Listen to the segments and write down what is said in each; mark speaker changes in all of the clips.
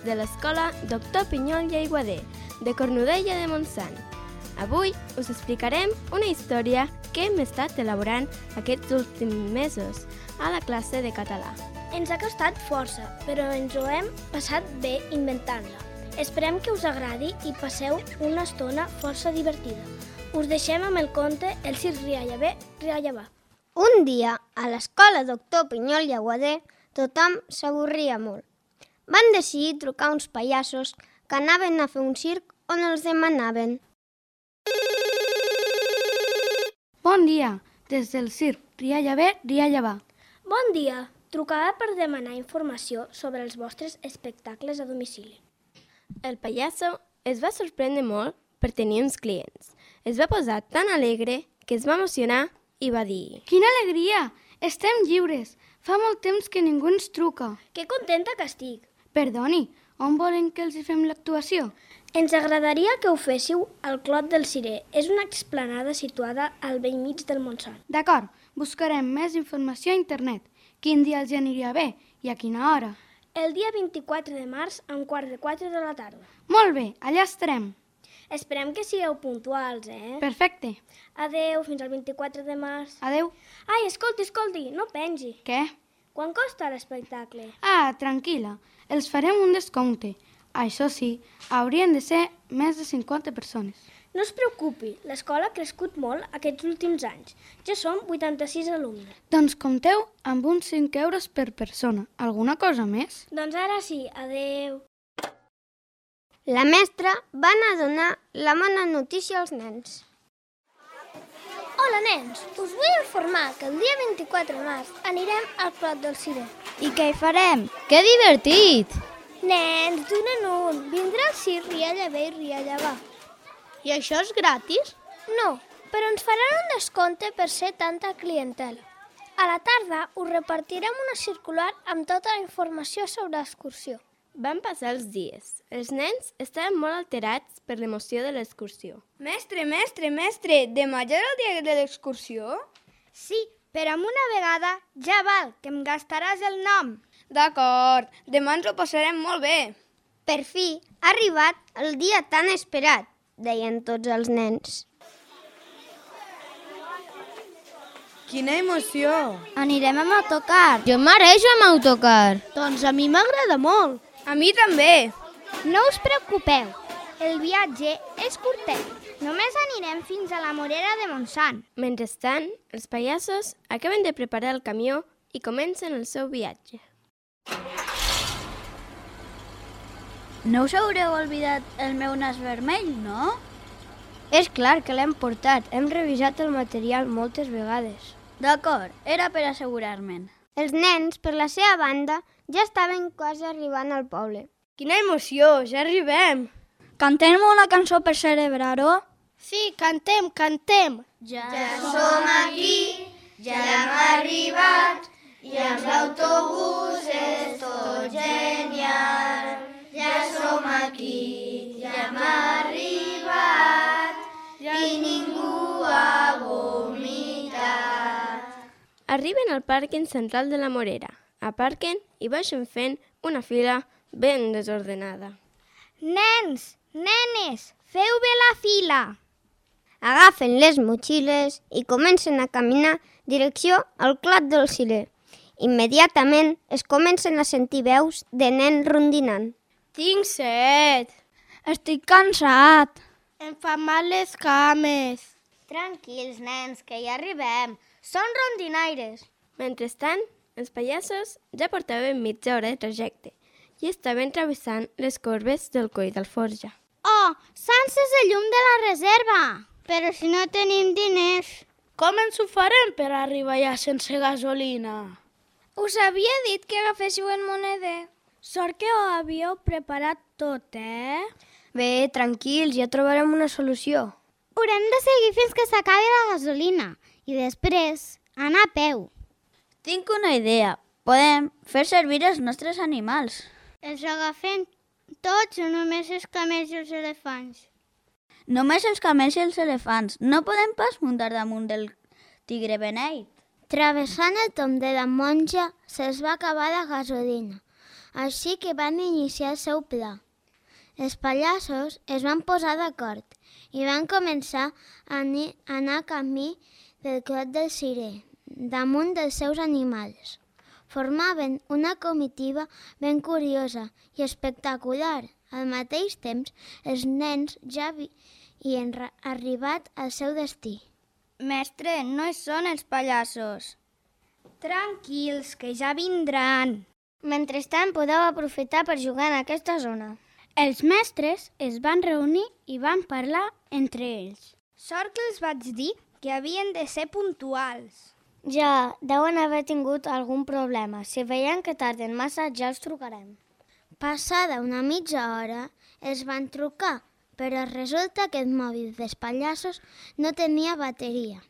Speaker 1: de l'escola Doctor Pinyol i Aiguader, de Cornudella de Montsant. Avui us explicarem una història que hem estat elaborant aquests últims mesos a la classe de català.
Speaker 2: Ens ha costat força, però ens ho hem passat bé inventant-la. Esperem que us agradi i passeu una estona força divertida. Us deixem amb el conte El circ rialla bé, rialla va.
Speaker 3: Un dia, a l'escola Doctor Pinyol i Aiguader, tothom s'avorria molt. Van decidir trucar uns pallassos que anaven a fer un circ on els demanaven.
Speaker 4: Bon dia, des del circ Rialla bé, rialla va.
Speaker 2: Bon dia, trucava per demanar informació sobre els vostres espectacles a domicili.
Speaker 1: El pallasso es va sorprendre molt per tenir uns clients. Es va posar tan alegre que es va emocionar i va dir:
Speaker 4: Quina alegria! Estem lliures! Fa molt temps que ningú ens truca.
Speaker 2: Que contenta que estic!
Speaker 4: Perdoni, on volen que els hi fem l'actuació?
Speaker 2: Ens agradaria que ho féssiu al Clot del Cirer. És una explanada situada al bell mig del Montsant.
Speaker 4: D'acord, buscarem més informació a internet. Quin dia els aniria bé i a quina hora?
Speaker 2: El dia 24 de març a 3:15 de la tarda.
Speaker 4: Molt bé, allà estarem.
Speaker 2: Esperem que sigueu puntuals,
Speaker 4: Perfecte.
Speaker 2: Adeu, fins al 24 de març.
Speaker 4: Adeu.
Speaker 2: Ai, escolti, no pengi.
Speaker 4: Què?
Speaker 2: Quan costa l'espectacle?
Speaker 4: Ah, tranquil·la, els farem un descompte. Això sí, haurien de ser més de 50 persones.
Speaker 2: No es preocupi, l'escola ha crescut molt aquests últims anys. Ja som 86 alumnes.
Speaker 4: Doncs compteu amb uns 5 euros per persona. Alguna cosa més?
Speaker 2: Doncs ara sí, adeu.
Speaker 3: La mestra va anar a donar la bona notícia als nens.
Speaker 2: Hola, nens. Us vull informar que el dia 24 de març anirem al Clot del Cirer.
Speaker 5: I què hi farem? Que divertit!
Speaker 2: Nens, d'un en un. Vindrà el circ rialla bé i rialla va.
Speaker 5: I això és gratis?
Speaker 2: No, però ens faran un descompte per ser tanta clientela. A la tarda us repartirem una circular amb tota la informació sobre l'excursió.
Speaker 1: Van passar els dies. Els nens estaven molt alterats per l'emoció de l'excursió.
Speaker 5: Mestre, demà ja és el dia de l'excursió?
Speaker 3: Sí, però amb una vegada ja val, que em gastaràs el nom.
Speaker 5: D'acord, demà ens ho passarem molt bé.
Speaker 3: Per fi ha arribat el dia tan esperat, deien tots els nens.
Speaker 6: Quina emoció!
Speaker 5: Anirem amb autocar. Jo m'areixo amb autocar.
Speaker 2: Doncs a mi m'agrada molt.
Speaker 5: A mi també.
Speaker 3: No us preocupeu, el viatge és curtet. Només anirem fins a la Morera de Montsant.
Speaker 1: Mentrestant, els pallassos acaben de preparar el camió i comencen el seu viatge.
Speaker 5: No us haureu oblidat el meu nas vermell, no?
Speaker 3: És clar que l'hem portat, hem revisat el material moltes vegades.
Speaker 5: D'acord, era per assegurar-me'n.
Speaker 3: Els nens, per la seva banda, ja estaven quasi arribant al poble.
Speaker 5: Quina emoció, ja arribem. Cantem una cançó per celebrar-ho?
Speaker 2: Sí, cantem.
Speaker 5: Ja som aquí, ja hem arribat, i amb l'autobús és tot genial. Ja som aquí, ja hem arribat, i ningú ha vomitat.
Speaker 1: Arriben al pàrquing central de la Morera. Aparquen i baixen fent una fila ben desordenada.
Speaker 3: Nens, nenes, feu bé la fila! Agafen les motxilles i comencen a caminar direcció al Clot del Cirer. Immediatament es comencen a sentir veus de nens rondinant.
Speaker 5: Tinc set. Estic cansat.
Speaker 2: Em fan mal les cames.
Speaker 3: Tranquils, nens, que ja arribem. Són rondinaires.
Speaker 1: Mentrestant, els pallassos ja portaven mitja hora de trajecte i estaven travessant les corbes del Coll d'Alforja.
Speaker 3: Oh, sense el llum de la reserva! Però si no tenim diners...
Speaker 2: Com ens ho farem per arribar allà sense gasolina?
Speaker 3: Us havia dit que agaféssiu el moneder.
Speaker 2: Sort que ho havíeu preparat tot,
Speaker 3: Bé, tranquils, ja trobarem una solució. Haurem de seguir fins que s'acabi la gasolina i després anar a peu.
Speaker 5: Tinc una idea. Podem fer servir els nostres animals.
Speaker 3: Els agafem tots o només els camells i els elefants?
Speaker 5: Només els camells i els elefants. No podem pas muntar damunt del tigre beneit.
Speaker 3: Travessant el tomb de la monja se'ls va acabar la gasolina. així que van iniciar el seu pla. Els pallassos es van posar d'acord i van començar a anar camí del clot del cirer, damunt dels seus animals. Formaven una comitiva ben curiosa i espectacular. Al mateix temps, els nens ja havien arribat al seu destí.
Speaker 5: Mestre, no són els pallassos.
Speaker 3: Tranquils, que ja vindran. Mentrestant, podeu aprofitar per jugar en aquesta zona.
Speaker 2: Els mestres es van reunir i van parlar entre ells.
Speaker 3: Sort que els vaig dir que havien de ser puntuals. Ja, deuen haver tingut algun problema. Si veiem que tarden massa, ja els trucarem. Passada una mitja hora, els van trucar, però resulta que el mòbil dels pallassos no tenia bateria.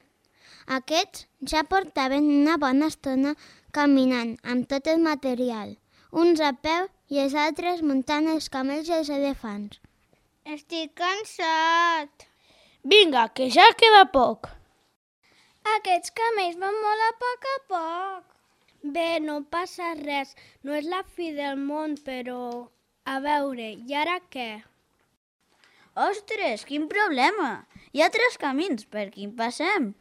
Speaker 3: Aquests ja portaven una bona estona caminant amb tot el material, uns a peu i els altres muntant els camells i els elefants.
Speaker 2: Estic cansat.
Speaker 6: Vinga, que ja queda poc.
Speaker 2: Aquests camells van molt a poc. Bé, no passa res. No és la fi del món, però... A veure, i ara què?
Speaker 5: Ostres, quin problema! Hi ha 3 camins, per quin passem?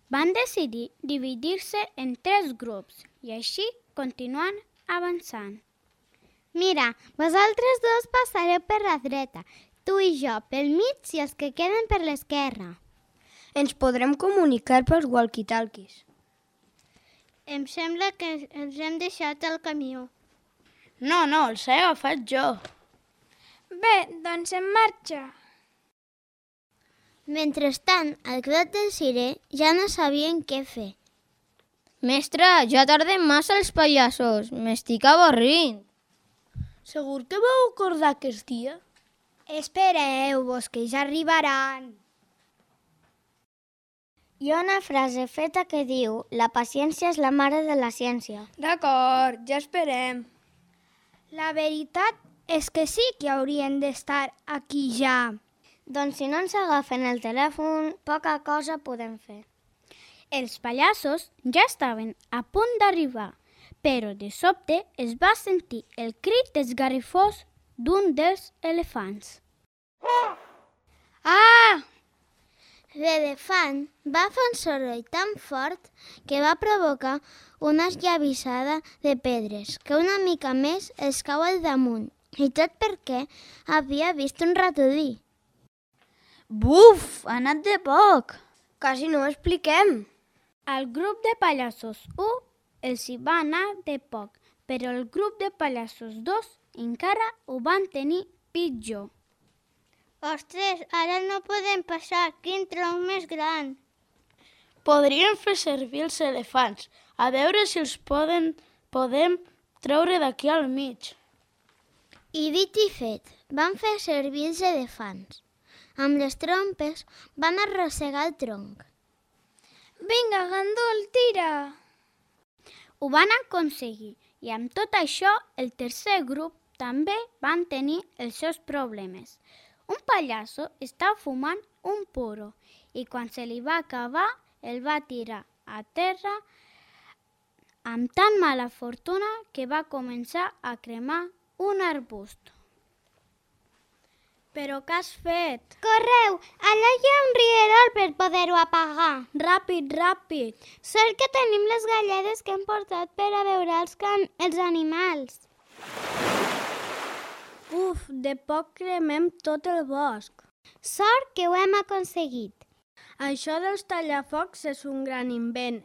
Speaker 2: Van decidir dividir-se en 3 grups i així continuant avançant.
Speaker 3: Mira, vosaltres dos passareu per la dreta, tu i jo pel mig i els que queden per l'esquerra.
Speaker 6: Ens podrem comunicar pels walkie-talkies.
Speaker 2: Em sembla que ens hem deixat el camió.
Speaker 6: No, els he agafat jo.
Speaker 2: Bé, doncs en marxa.
Speaker 3: Mentrestant, al clot del cirer ja no sabien què fer.
Speaker 4: Mestre, ja tarden massa els pallassos. M'estic avorrint.
Speaker 6: Segur que vau acordar aquest dia?
Speaker 3: Espereu-vos, que ja arribaran. Hi ha una frase feta que diu «La paciència és la mare de la ciència».
Speaker 6: D'acord, ja esperem.
Speaker 2: La veritat és que sí que haurien d'estar aquí ja.
Speaker 3: Doncs si no ens agafen el telèfon, poca cosa podem fer.
Speaker 2: Els pallassos ja estaven a punt d'arribar, però de sobte es va sentir el crit esgarrifós d'un dels elefants.
Speaker 3: Ah! L'elefant va fer un soroll tan fort que va provocar una esllavissada de pedres que una mica més els cau al damunt, i tot perquè havia vist un ratolí.
Speaker 5: Buf, ha anat de poc.
Speaker 6: Quasi no ho expliquem.
Speaker 2: Al grup de pallassos 1 els hi va anar de poc, però el grup de pallassos 2 encara ho van tenir pitjor.
Speaker 3: Ostres, ara no podem passar, quin tronc més gran.
Speaker 6: Podríem fer servir els elefants, a veure si els podem treure d'aquí al mig.
Speaker 3: I dit i fet, van fer servir els elefants. Amb les trompes van arrossegar el tronc.
Speaker 2: Vinga, gandul, tira! Ho van aconseguir i amb tot això el tercer grup també van tenir els seus problemes. Un pallasso estava fumant un puro i quan se li va acabar el va tirar a terra amb tan mala fortuna que va començar a cremar un arbust. Però què has fet?
Speaker 3: Correu, allà hi ha un rierol per poder-ho apagar.
Speaker 2: Ràpid, ràpid!
Speaker 3: Sort que tenim les galledes que hem portat per a beure els animals.
Speaker 2: Uf, de poc cremem tot el bosc.
Speaker 3: Sort que ho hem aconseguit.
Speaker 2: Això dels tallafocs és un gran invent,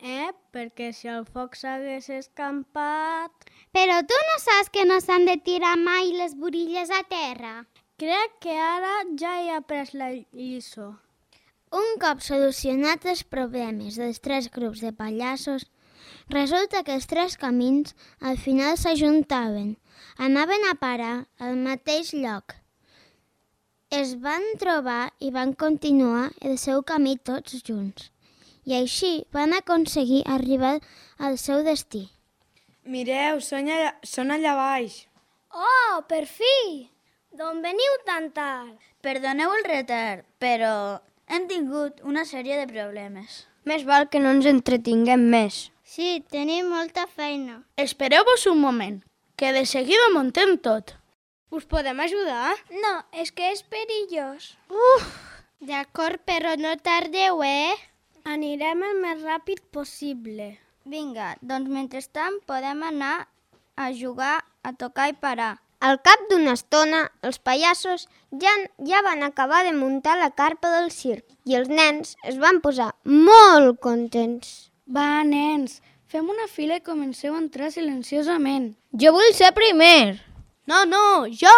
Speaker 2: Perquè si el foc s'hagués escampat...
Speaker 3: Però tu no saps que no s'han de tirar mai les burilles a terra?
Speaker 2: Crec que ara ja he après la lliçó.
Speaker 3: Un cop solucionats els problemes dels 3 grups de pallassos, resulta que els 3 camins al final s'ajuntaven, anaven a parar al mateix lloc. Es van trobar i van continuar el seu camí tots junts, i així van aconseguir arribar al seu destí.
Speaker 6: Mireu, són allà baix.
Speaker 2: Oh, per fi! D'on veniu tan tard?
Speaker 5: Perdoneu el retard, però hem tingut una sèrie de problemes.
Speaker 6: Més val que no ens entretinguem més.
Speaker 3: Sí, tenim molta feina.
Speaker 6: Espereu-vos un moment, que de seguida muntem tot.
Speaker 4: Us podem ajudar?
Speaker 2: No, és que és perillós.
Speaker 3: D'acord, però no tardeu,
Speaker 2: Anirem el més ràpid possible.
Speaker 5: Vinga, doncs mentrestant podem anar a jugar, a tocar i parar.
Speaker 3: Al cap d'una estona, els pallassos ja van acabar de muntar la carpa del circ i els nens es van posar molt contents.
Speaker 4: Va, nens, fem una fila i comenceu a entrar silenciosament.
Speaker 5: Jo vull ser primer.
Speaker 6: No, jo!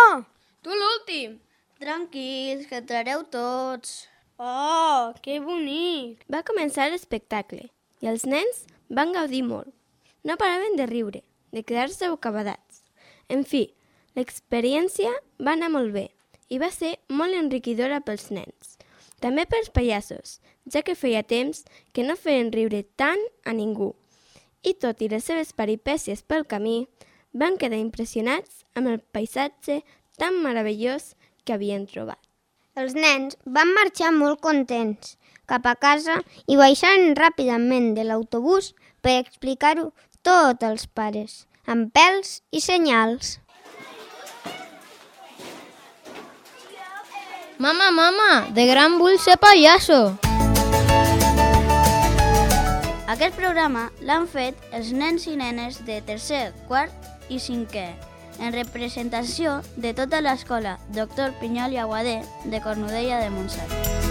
Speaker 4: Tu l'últim!
Speaker 5: Tranquils, que entrareu tots.
Speaker 6: Oh, que bonic!
Speaker 1: Va començar l'espectacle i els nens van gaudir molt. No paraven de riure, de quedar-se bocabadats. En fi, l'experiència va anar molt bé i va ser molt enriquidora pels nens. També pels pallassos, ja que feia temps que no feien riure tant a ningú. I tot i les seves peripècies pel camí, van quedar impressionats amb el paisatge tan meravellós que havien trobat.
Speaker 3: Els nens van marxar molt contents cap a casa i baixaren ràpidament de l'autobús per explicar-ho tot als pares, amb pèls i senyals.
Speaker 5: Mama, de gran vull ser pallasso. Aquest programa l'han fet els nens i nenes de tercer, quart i cinquè, en representació de tota l'escola Doctor Pinyol i Aguadé de Cornudella de Montsant.